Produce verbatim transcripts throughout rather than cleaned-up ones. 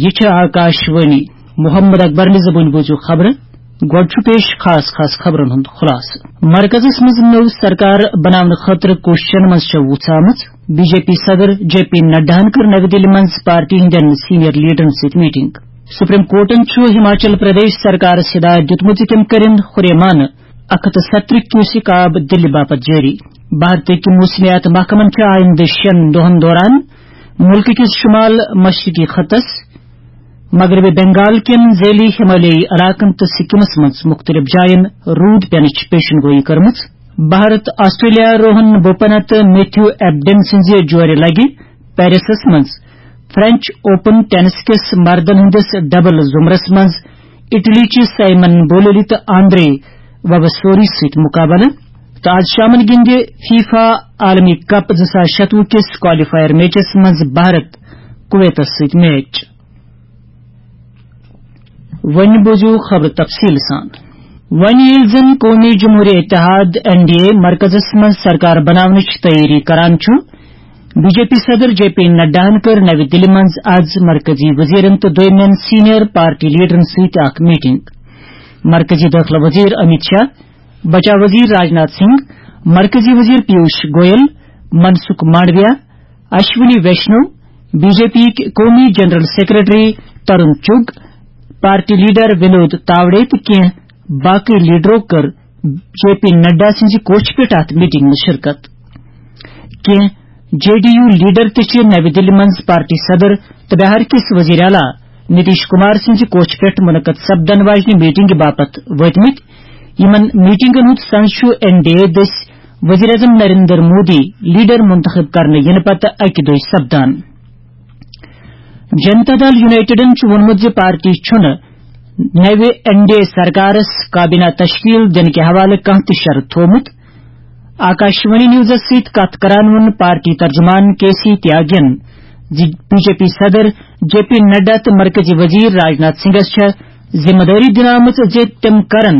یہِ چھِ آکاش وانی۔ محمد اکبر نہِ زبٲنۍ بوٗزِو خبرٕ۔ گۄڈٕ چھُ پیش خاص خاص خبرن ہُنٛد خلاصہٕ۔ مرکزس منٛز نٔو سرکار بناونہٕ خٲطرٕ کوٗششن منٛز چھےٚ وُژھ آمٕژ۔ بی جے پی صدر جے پی نڈاہن کٔر نَوِ دِلہِ منٛز پارٹی ہٕنٛدٮ۪ن سینئر لیڈرن سۭتۍ میٹنگ۔ سپریم کورٹن چھُ ہماچل پردیش سرکارس ہدایت دِیُتمُت زِ تِم کٔرِن ہُریمانہٕ اکھ ہتھ تہٕ ستترٕہ کیوسک آب دِلہِ باپتھ جٲری۔ بھارتٕکۍ موسمیات محکمن چھِ آیندٕ شٮ۪ن دۄہن دوران مُلکہٕ کِس شُمال مشرقی خطس، مغربی بنگال کٮ۪ن ذیلی ہمالیٲیی علاقن تہٕ سکمس منٛز مُختٔلِف جاین روٗد پینٕچ پیشن گویی کٔرمٕژ۔ بھارت آسٹریلیا روہن بوپنا تہٕ میتھیو ایبڈن سٕنٛزِ جورِ لگہِ پیرسس منٛز فرنچ اوپن ٹینس کِس مردن ہٕنٛدِس ڈبل زمرس منٛز اٹلی چہِ سائمن بولولی تہٕ آندرے وبسوری سۭتۍ مقابلہٕ۔ تہٕ آز شامن گِنٛدِ فیفا عالمی کپ زٕ ساس شتوُہ کِس کوالیفائر میچس منٛز بھارت کویتس سۭتۍ میچ۔ وۄنۍ بوزِو خبر تفصیل سان۔ وۄنۍ ییٚلہِ زن قومی جمہوری اتحاد، این ڈی اے، مرکزس منٛز سرکار بناونٕچ تیٲری کران چھُ، بی جے پی صدر جے پی نڈاہن کٔر نَوِ دِلہِ منٛز آز مرکزی وزیرن تہٕ دویمٮ۪ن سینئر پارٹی لیڈرن سۭتۍ اکھ میٹنگ۔ مرکزی دٲخلہٕ وزیر امیت شاہ، بچاو وزیر راجناتھ سنگھ، مرکزی وزیر Piyush Goyal, Mansukh Mandaviya, Ashwini Vaishnaw, B J P یِکۍ قومی general secretary Tarun Chugh, party leader Vinod Tawde تہٕ کینٛہہ باقی لیڈرو کٔر جے پی نڈا سٕنٛزِ کوٹھِ پٮ۪ٹھ اتھ میٹنگ منٛز شرکت۔ کینٛہہ جے ڈی یو لیڈر تہِ چھِ نَوِ دِلہِ منٛز پارٹی صدر تہٕ بہار کِس وزیر اعلیٰ نتیش کمار سٕنٛزِ کوٹھِ پٮ۪ٹھ منعقد سپدن واجنہِ میٹنگہِ باپتھ وٲتمٕتۍ۔ یِمن میٹنگن ہُنٛد سنز چھُ این ڈی اے دٔسۍ وزیر اعظم نریندر مودی لیڈر منتخب کرنہٕ یِنہٕ پتہٕ اکہِ دۄہہِ سپدان۔ جنتا دل یونائیٹڈن چھُ ووٚنمُت زِ پارٹی چھُنہٕ نَوِ این ڈی اے سرکارس کابینہ تشکیل دِنہٕ کہِ حوالہٕ کانٛہہ تہِ شرط تھوومُت۔ آکاشوانی نیوزس سۭتۍ کتھ کران ووٚن پارٹی ترجمان کے سی تیاگین زِ بی جے پی صدر جے پی نڈا تہٕ مرکزی وزیر راجناتھ سنگھس چھےٚ ذمہ دٲری دِنہٕ آمٕژ زِ تِم کرن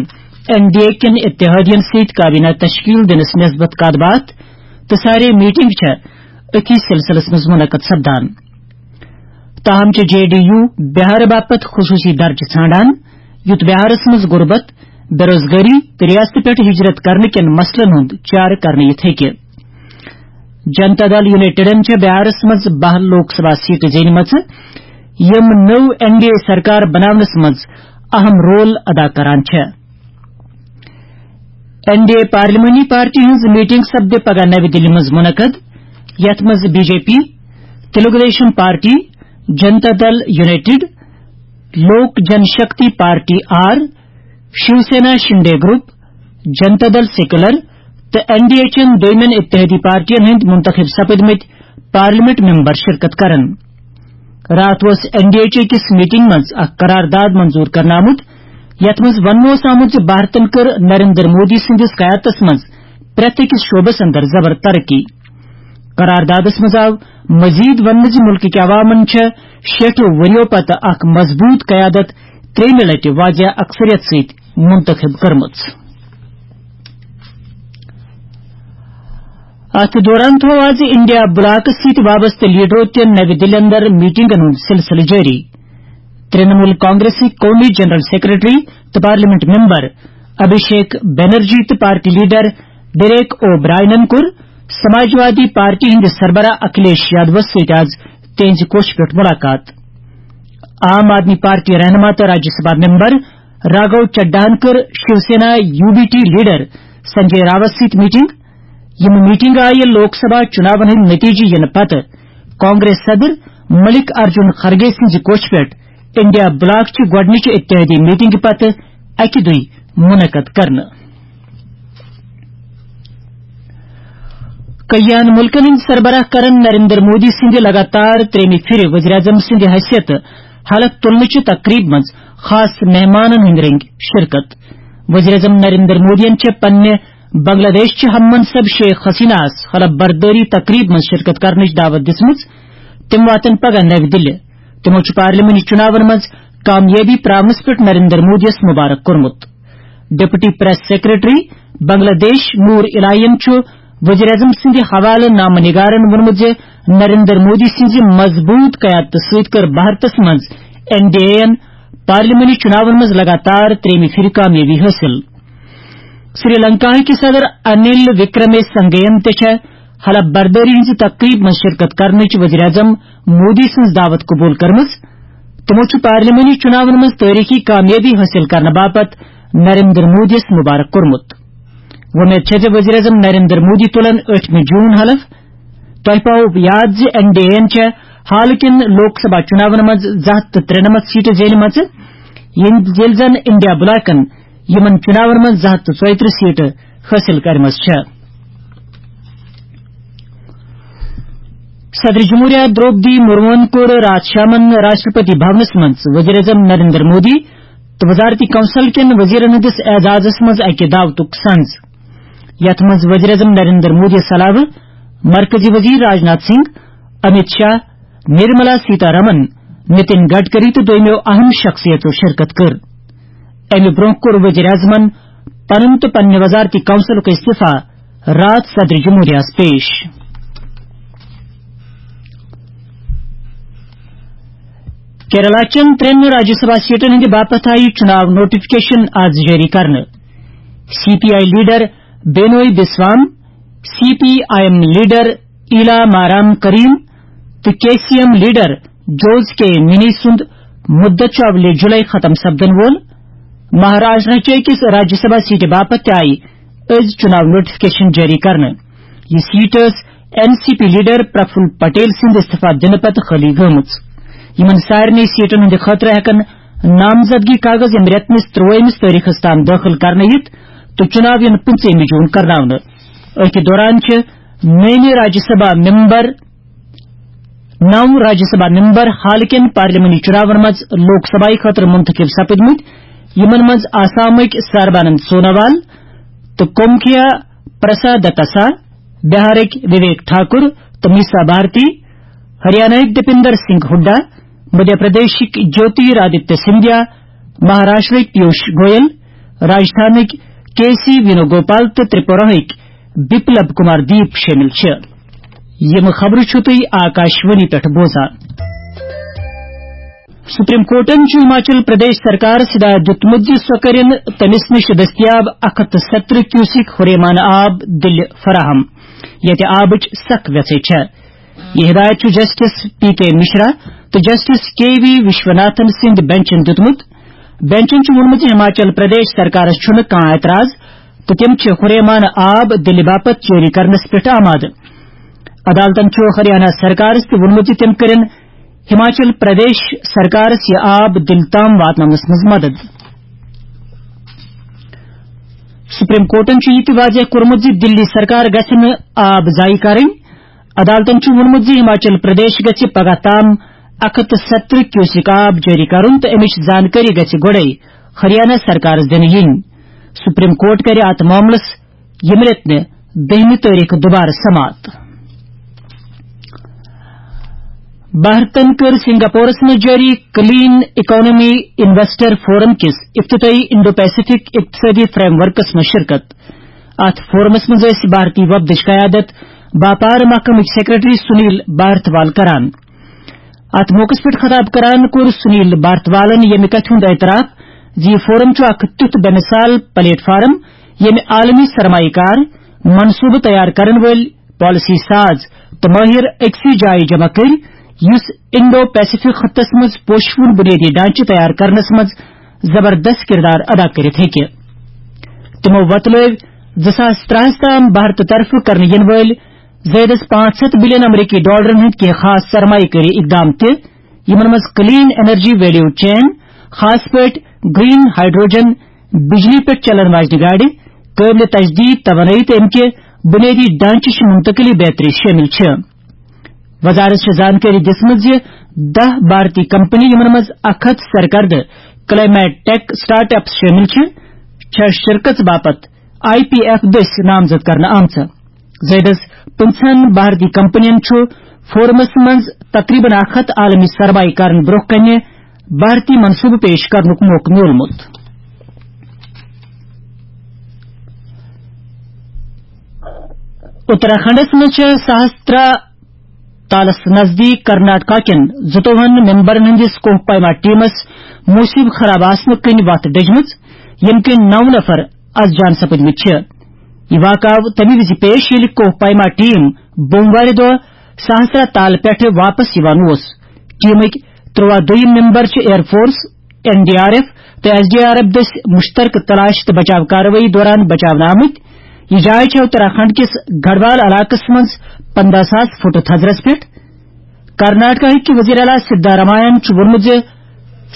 این ڈی اے کٮ۪ن اتحادین سۭتۍ کابینہ تشکیل دِنس نسبت کتھ باتھ تہٕ سارے میٹنگ چھےٚ أتھی سلسلس منٛز منعقد سپدان۔ تاہم چھِ جے ڈی یو بہار باپتھ خصوصی درجہٕ ژھانڈان، یُتھ بہارس منٛز غربت، بے روزگاری تہٕ ریاست پٮ۪ٹھ ہجرت کرنہٕ کٮ۪ن مسلن ہُنٛد چارٕ کرنہٕ یِتھ ہیٚکہِ۔ جنتا دل یونائیٹڈن چھےٚ بہارس منٛز باہ لوک سبھا سیٹہٕ زینمژٕ، یِم نٔو این ڈی اے سرکار بناونس منٛز اہم رول ادا کران چھےٚ۔ این ڈی اے پارلیمانی پارٹی ہٕنٛز میٹنگ سپدِ پگاہ نَوِ دِلہِ منٛز منعقد، یتھ منٛز B J P, Telugu Desam party, Janata Dal united, Lok Jan Shakti party R, Shiv Sena Shinde group, Janata Dal secular تہٕ این ڈی اے چٮ۪ن دویمٮ۪ن اتحادی پارٹین ہٕنٛدۍ منتخب سپدمٕتۍ پارلیمنٹ ممبر شرکت کرن۔ راتھ اوس این ڈی اے چہِ أکِس میٹنگ منٛز اکھ قرارداد منظور کرنہٕ آمُت، یتھ منٛز وننہٕ اوس آمُت زِ بھارتن کٔر نریندر مودی سٕنٛدِس قیادتس منٛز پرٛٮ۪تھ أکِس شعبس اندر زبر ترقی۔ قراردادس منٛز آو مزید وننہٕ زِ مُلکٕکۍ عوامن چھےٚ شیٹھو ؤرِیو پتہٕ اکھ مضبوط قیادت ترٛیٚیمہِ لٹہِ واضح اکثریت سۭتۍ منتخب کٔرمٕژ۔ اتھ دوران تھوو آز انڈیا بلاکس سۭتۍ وابستہٕ لیڈرو تہِ نَوِ دِلہِ اندر میٹنگن ہُنٛد سلسلہٕ جٲری۔ ترٛنمول کانگریسٕکۍ قومی جنرل سیکرٹری تہٕ پارلیمنٹ ممبر ابھیشیک بنرجی تہٕ پارٹی لیڈر ڈیریک او برائنن کوٚر سماجوادی پارٹی ہٕنٛدِ سربراہ اکھلیش یادوَس سۭتۍ آز تِہنٛزِ کوٹھِ پٮ۪ٹھ مُلاقات۔ عام آدمی پارٹی رہنما تہٕ راجیہ سبھا ممبر راگھو چڈاہن کٔر Shiv Sena U B T leader Sanjay راوس سۭتۍ میٹنگ۔ یِم میٹنگ آیہِ لوک سبھا چُناون ہٕنٛدۍ نتیجہٕ یِنہٕ پتہٕ کانگریس صدر ملک ارجن خرگے سٕنٛزِ کوٹھِ پٮ۪ٹھ انڈیا بلاک چہِ گۄڈٕنِچہِ اتحادی میٹنگہِ پتہٕ اکہِ دۄہہِ منعقد کرنہٕ۔ کلیان ملکن ہٕنٛدۍ سربراہ کرن نریندر مودی سٕنٛدِ لگاتار ترٛیٚیمہِ پھِرِ وزیر اعظم سٕنٛدِ حیثیت حلف تُلنہٕ چہِ تقریبہِ منٛز خاص مہمانن ہٕنٛدۍ رٔنگۍ شرکت۔ وزیر اعظم نریندر مودیَن چھےٚ پننہِ بنگلہ دیش چہِ ہم منصب شیخ حسینہ ہس حلف بردٲری تقریبہِ منٛز شرکت کرنٕچ دعوت دِژمٕژ۔ تِم واتن پگاہ نَوِ دِلہِ۔ تِمو چھُ پارلیمانی چُناون منٛز کامیٲبی پراونس پٮ۪ٹھ نریندر مودیَس مبارک کوٚرمُت۔ ڈپٹی پریس سیکرٹری بنگلہ دیش نور الہین چھُ وزیر اعظم سٕنٛدِ حوالہٕ نامہ نگارن ووٚنمُت زِ نریندر مودی سٕنٛزِ مضبوٗط قیادتہٕ سۭتۍ کٔر بھارتس منٛز این ڈی اے یَن پارلیمانی چُناون منٛز لگاتار ترٛیٚیِمہِ پھِرِ کامیٲبی حٲصِل۔ سری لنکاہٕکۍ صدر انل وکرمے سنگھین تہِ چھےٚ حلف بردٲری ہٕنٛزِ تقریب منٛز شرکت کرنٕچ وزیر اعظم مودی سٕنٛز دعوت قبول کٔرمٕژ۔ تِمو چھُ پارلیمانی چُناون منٛز تٲریخی کامیٲبی حٲصِل کرنہٕ باپتھ نریندر مودیَس مبارک کوٚرمُت۔ وۄمید چھےٚ زِ وزیر اعظم نریندر مودی تُلن ٲٹھمہِ جون حلف۔ تۄہہِ پاوو یاد زِ این ڈی اے یَن چھےٚ حالہٕ کٮ۪ن لوک سبھا چُناون منٛز زٕ ہَتھ تہٕ ترٛنَمَتھ سیٹہٕ زینِمژٕ، ییٚلہِ، ییٚلہِ زَن انڈیا بلاکن یِمن چُناون منٛز زٕ ہَتھ تہٕ ژۄیہِ ترٕٛہ سیٹہٕ حٲصِل کٔرمٕژ چھےٚ۔ صدر جمہوریہ درٛوپدی مرموہن کوٚر راتھ شامن راشٹرپتی بھونس منٛز وزیر اعظم نریندر مودی تہٕ وزارتی کونسل کٮ۪ن وزیرن ہٕنٛدِس اعزازس منٛز اکہِ دعوتُک سنز، یتھ منٛز وزیر اعظم نریندر مودیَس علاوٕ مرکزی وزیر راجناتھ سنگھ، امیت شاہ، نرملا سیتارمن، نتن گڈکری تہٕ دوٚیمٮ۪و اہم شخصیتو شرکت کٔر۔ امہِ برونٛہہ کوٚر وزیر اعظمن پنُن تہٕ پننہِ وزارتی کونسلُک استعفیٰ راتھ صدر جمہوریہس پیش۔ کیرلا چٮ۪ن ترٛٮ۪ن راجیہ سبھا سیٹن ہٕنٛدِ باپتھ آیہِ چُناو نوٹیفکیشن آز جٲری کرنہٕ۔ C P I leader Binoy Viswam, C P I M leader Elamaram Kareem تہٕ K C M leader Jose K Mani سُنٛد مُدت چھُ اولہِ جُلای ختم سپدن وول۔ مہاراشٹرا چہِ أکِس راجیہ سبھا سیٹہِ باپتھ تہِ آیہِ أزۍ چُناو نوٹیفکیشن جٲری کرنہٕ۔ یہِ سیٹ ٲس این سی پی لیڈر پرفل پٹیل سٕنٛدِ استعفیٰ دِنہٕ پتہٕ خٲلی گٔمٕژ۔ یِمن سارنٕے سیٹن ہٕنٛدِ خٲطرٕ ہٮ۪کن نامزدگی کاغذ ییٚمہِ رٮ۪تہٕ مِس ترٛوٲہمِس تٲریخس تام دٲخل کرنہٕ یِتھ تہٕ چُناو یِن پٕنٛژٕہمہِ جون کرناونہٕ۔ أتھۍ دوران چھِ نٔیمہِ راجیہ سبھا ممبر، نو راجیہ سبھا ممبر حالکٮ۪ن پارلیمانی چُناون منٛز لوک سبھایہ خٲطرٕ منتخب سپٕدمٕتۍ، یِمن منٛز آسامٕکۍ سربانند سونووال تہٕ کومکھیا پرساد دتاسا، بہارٕکۍ وویک ٹھاکر تہٕ میسا بھارتی، ہریاناہٕکۍ دیپندر سنگھ ہڈا، مدھیہ پردیشٕکۍ جیوتی رادتیہ سندھیا، مہاراشٹرٕکۍ پیوش گویل، راجستھانٕکۍ کے سی وینو گوپال تہٕ ترپوراہٕکۍ بپلب کمار دیپ شٲمِل چھِ۔ یِم خبرٕ چھِو تُہۍ آکاشوانی پٮ۪ٹھ بوزان۔ سپریم کورٹن چھُ ہماچل پردیش سرکارس ہدایت دیُتمُت زِ سۄ کٔرِن تٔمِس نِش دٔستیاب اکھ ہتھ تہٕ ستترٕہ کیوسک ہُریمان آب دِلہِ فراہم، ییٚتہِ آبٕچ سخ ویژھے چھےٚ۔ یہِ ہدایت چھُ جسٹس پی کے مشرا تہٕ جسٹس کے وی وشوناتھن سٕنٛدِ بنچن دیُتمُت۔ بنچن چھُ ووٚنمُت زِ ہماچل پردیش سرکارس چھُنہٕ کانٛہہ اعتراض تہٕ تِم چھِ ہُریمان آب دِلہِ باپتھ جٲری کرنس پٮ۪ٹھ آمادٕ۔ عدالتن چھُ ہریانہ سرکارس تہِ ووٚنمُت زِ تِم کٔرِن ہماچل پردیش سرکارس یہِ آب دِلہِ تام واتناونس منٛز مدد۔ سپریم کورٹن چھُ یہِ تہِ واضح کوٚرمُت زِ دِلی سرکار گژھِ نہٕ آب ضایع کرٕنۍ۔ عدالتن چھُ ووٚنمُت زِ ہماچل پردیش گژھِ پگاہ تام اکھ ہتھ تہٕ ستترٕہ کیوسک آب جٲری کرُن تہٕ امِچ زانکٲری گژھِ گۄڈَے ہریانہ سرکارس دِنہٕ یِنۍ۔ سپریم کورٹ کرِ اتھ معاملس ییٚمہِ رٮ۪تہٕ دٔہمہِ تٲریخ دوبارٕ سماعت۔ بھارتن کٔر سنگاپورس منٛز جٲری کلین اکانومی انویسٹر فورم کِس افتتاحی انڈو پیسفک اقتصادی فریم ورکس منٛز شرکت۔ اتھ فورمس منٛز ٲسۍ بھارتی وفدٕچ قیادت باپار محکمٕکۍ سیکرٹری سنیل بھارتوال کران۔ اتھ موقعس پٮ۪ٹھ خطاب کران کوٚر سنیل بھارتوالن ییٚمہِ کتھِ ہُنٛد اعتراف زِ یہِ فورم چھُ اکھ تیُتھ بے مثال پلیٹ فارم، ییٚمہِ عالمی سرمایہ کار، منصوبہٕ تیار کرن وٲلۍ، پالیسی ساز تہٕ مٲہِر أکسٕے جایہِ جمع کٔرۍ، یُس انڈو پیسفک خطس منٛز پوشہٕ وُن بنیٲدی ڈھانچہٕ تیار کرنس منٛز زبردست کردار ادا کٔرِتھ ہیٚکہِ۔ تِمو وۄتلٲوۍ زٕ ساس ترٛہَس تام بھارتہٕ طرفہٕ کرنہٕ یِنہٕ وٲلۍ زٲیدس پانٛژھ ہتھ بلین امریکی ڈالرن ہٕنٛدۍ کینٛہہ خاص سرمایہ کٲری اقدام تہِ، یِمن منٛز کلین انرجی ویلیو چین، خاص پٲٹھۍ گرین ہائیڈروجن، بجلی پٮ۪ٹھ چلن واجنہِ گاڑِ، قٲبلِ تجدید توانٲیی تہٕ امہِ کہِ بنیٲدی ڈھانچٕچ منتقلی بیتری شٲمِل چھِ۔ وزارت چھےٚ زانکٲری دِژمٕژ زِ دَہ بھارتی کمپنی، یِمن منٛز اکھ ہتھ سرکردٕ کلائمیٹ ٹیک سٹارٹ اپس شٲمِل چھِ، چھےٚ شرکژ باپتھ آئی پی ایف دٔسۍ نامزد کرنہٕ آمژٕ۔ زٲیدس پٕنٛژٕہن بھارتی کمپنین چھُ فورمس منٛز تقریباً اکھ ہتھ عالمی سرمایہ کارن برٛونٛہہ کنہِ بھارتی منصوبہٕ پیش کرنُک موقعہٕ میوٗلمُت۔ اتراکھنڈس منٛز چھےٚ سہسترا تالس نزدیک کرناٹکا کٮ۪ن زٕتووُہن ممبرن ہٕنٛدِس کوہ پیما ٹیمس موسم خراب آسنہٕ کِنۍ وتھ ڈٔجمٕژ، ییٚمہِ کِنۍ نو نفر از جان سپٕدمٕتۍ چھِ۔ یہِ واقعہٕ آو تَمہِ وِزِ پیش، ییٚلہِ کوہ پیما ٹیم بوموارِ دۄہ سہسرا تال پٮ۪ٹھٕ واپس یِوان اوس۔ ٹیمٕکۍ ترٛواہ دوٚیِم ممبر چھِ air force, N D R F تہٕ ایس ڈی آر ایف دٔسۍ مشترکہٕ تلاش تہٕ بچاو کاروٲیی دوران بچاونہٕ آمٕتۍ۔ یہِ جاے چھےٚ اتراکھنڈ کِس گڑھوال علاقس منٛز پنٛداہ ساس فُٹ تھزرس پٮ۪ٹھ۔ کرناٹکا ہٕکۍ وزیر اعلیٰ سدھارامایاہن چھُ ووٚنمُت زِ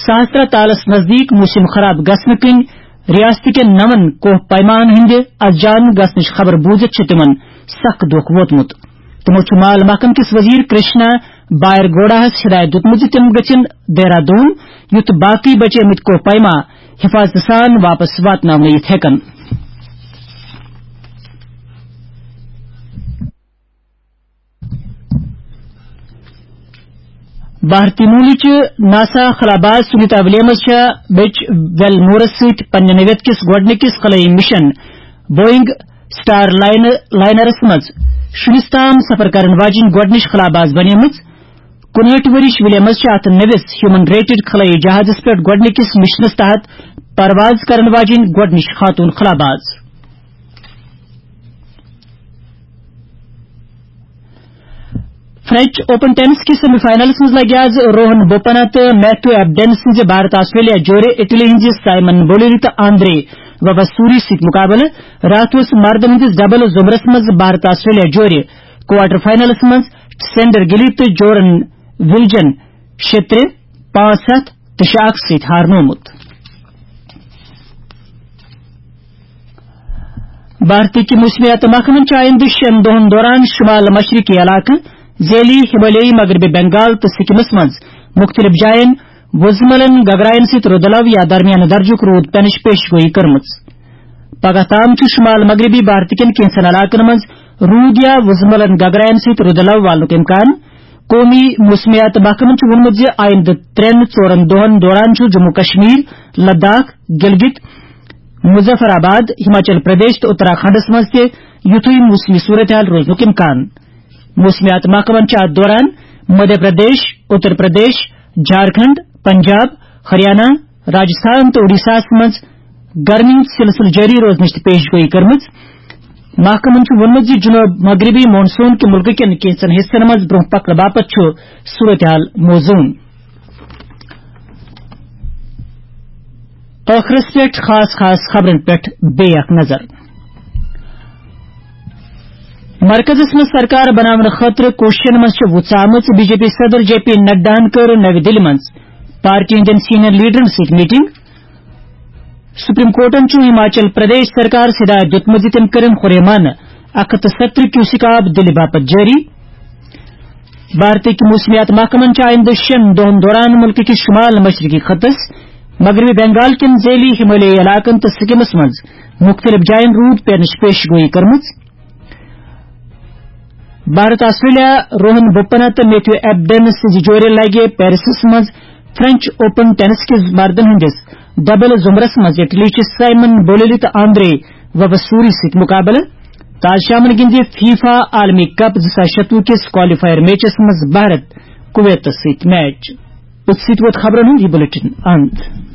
سہسرا تالس نزدیک موسم خراب گژھنہٕ کِنۍ ریاست کٮ۪ن نون کوہ پیماہن ہٕنٛدِ از جان گژھنٕچ خبر بوٗزِتھ چھُ تِمن سخ دُکھ ووتمُت۔ تِمو چھُ مال محکمہٕ کِس وزیر کرشنا بائرگوڈاہس ہدایت دیُتمُت زِ تِم گژھن دہرادون، یُتھ باقٕے بچے مٕتۍ کوہ پیما حفاظتہٕ سان واپس واتناونہٕ یِتھ ہٮ۪کن۔ بھارتی موٗلٕچ ناسا خلاباز سنیتا ولیمز چھےٚ بیچ ویل مورس سۭتۍ پننہِ نوعیت کِس گۄڈٕنِکِس خلٲیی مشن بوئنگ سٹار لائن-، لائنرس منٛز شُنِس تام سفر کرن واجیٚنۍ گۄڈٕنِچ خلاباز بنیمٕژ۔ کُنہٲٹھ ؤرِش ولیمز چھِ اتھ نٔوِس ہیومن ریٹڈ خلٲیی جہازس پٮ۪ٹھ گۄڈٕنِکِس مشنس تحت پرواز کرن واجیٚنۍ گۄڈٕنِچ خاتون خلاباز۔ فرنچ اوپن ٹینس کِس سیمی فائنلس منٛز لگہِ آز روہن بوپنا تہٕ میتھیو ایبڈن سٕنٛزِ بھارت آسٹریلیا جورِ اٹلی ہٕنٛزِ سائمن بولیری تہٕ آندرے وواسوری سۭتۍ مقابلہٕ۔ راتھ اوس مردن ہٕنٛدِس ڈبل زمرس منٛز بھارت آسٹریلیا جورِ کوارٹر فائنلس منٛز سینڈر گلی تہٕ جورن ولجن شےٚ ترٛےٚ، پانٛژھ ستھ تہٕ شےٚ اکھ سۭتۍ ہارنومُت۔ بھارتی کہِ موسمیات محکمن چھِ آیندٕ شٮ۪ن دۄہن دوران شمال مشرقی علاقہٕ ذیلی ہمالیائی مغربی بنگال تہٕ سکمس منٛز مختلف جاین وُزملن گگراین سۭتۍ رُدٕ لو یا درمیانہٕ درجُک روٗد پینٕچ پیش گویی کٔرمٕژ۔ پگہہ تام چھُ شمال مغربی بھارت کٮ۪ن کینٛژن علاقن منٛز روٗد یا وُزملن گگراین سۭتۍ رُدٕ لو والنُک امکان۔ قومی موسمیات محکمن چھُ ووٚنمُت زِ آیندٕ ترٛٮ۪ن ژورن دۄہن دوران چھُ جموں کشمیر، لداخ، گلگت، مظفر آباد، ہماچل پردیش تہٕ اتراکھنڈس منٛز تہِ یُتھُے موسمی صورتحال روزنُک امکان۔ موسمیات محکمن چھِ اتھ دوران مدھیہ پردیش، اتر پردیش، جھارکھنڈ، پنجاب، ہریانہ، راجستھان تہٕ اوڈیشاہس منٛز گرمی ہُنٛد سلسلہٕ جٲری روزنٕچ تہِ پیش گویی کٔرمٕژ۔ محکمن چھُ ووٚنمُت زِ جنوب مغربی مون سون کہِ مُلکہٕ کٮ۪ن کینٛژن حصن منٛز برٛونٛہہ پکنہٕ باپتھ چھُ صورتحال موزون۔ ٲخرس پٮ۪ٹھ خاص خاص خبرن پٮ۪ٹھ بیٚیہِ اکھ نظر۔ مرکزس منٛز سرکار بناونہٕ خٲطرٕ کوٗششن منٛز چھِ وُژھ آمٕژ۔ بی جے پی صدر جے پی نڈاہن کٔر نَوِ دِلہِ منٛز پارٹی ہٕنٛدٮ۪ن سینئر لیڈرن سۭتۍ میٹنگ۔ سپریم کورٹن چھُ ہماچل پردیش سرکارس ہدایت دیُتمُت زِ تِم کٔرِن خُریمانہٕ اکھ ہتھ تہٕ ستترٕہ کیوسک آب دِلہِ باپتھ جٲری۔ بھارتٕکۍ موسمیات محکمن چھِ آیندٕ شٮ۪ن دۄہن دوران مُلکہٕ کِس شمال مشرقی خطس، مغربی بنگال کٮ۪ن ذیلی ہمالیائی علاقن تہٕ سکمس منٛز مُختٔلِف جاین روٗد پینٕچ پیش گویی کٔرمٕژ۔ بھارت آسٹریلیا روہن بوپنا تہٕ میتھیو ایبڈن سٕنٛزِ جورِ لگہِ پیرسس منٛز فرنچ اوپن ٹینس کِس مردن ہٕنٛدِس ڈبل زمرس منٛز اٹلی چہِ سائمن بولیلی تہٕ آندرے ووسوری سۭتۍ مقابلہٕ۔ تاز شامن گِنٛدِ فیفا عالمی کپ زٕ ساس شتوُہ کِس کوالیفائر میچس منٛز بھارت کویتس سۭتۍ میچ۔ أتھۍ سۭتۍ ووت خبرن ہُنٛد یہِ بلیٹن اند۔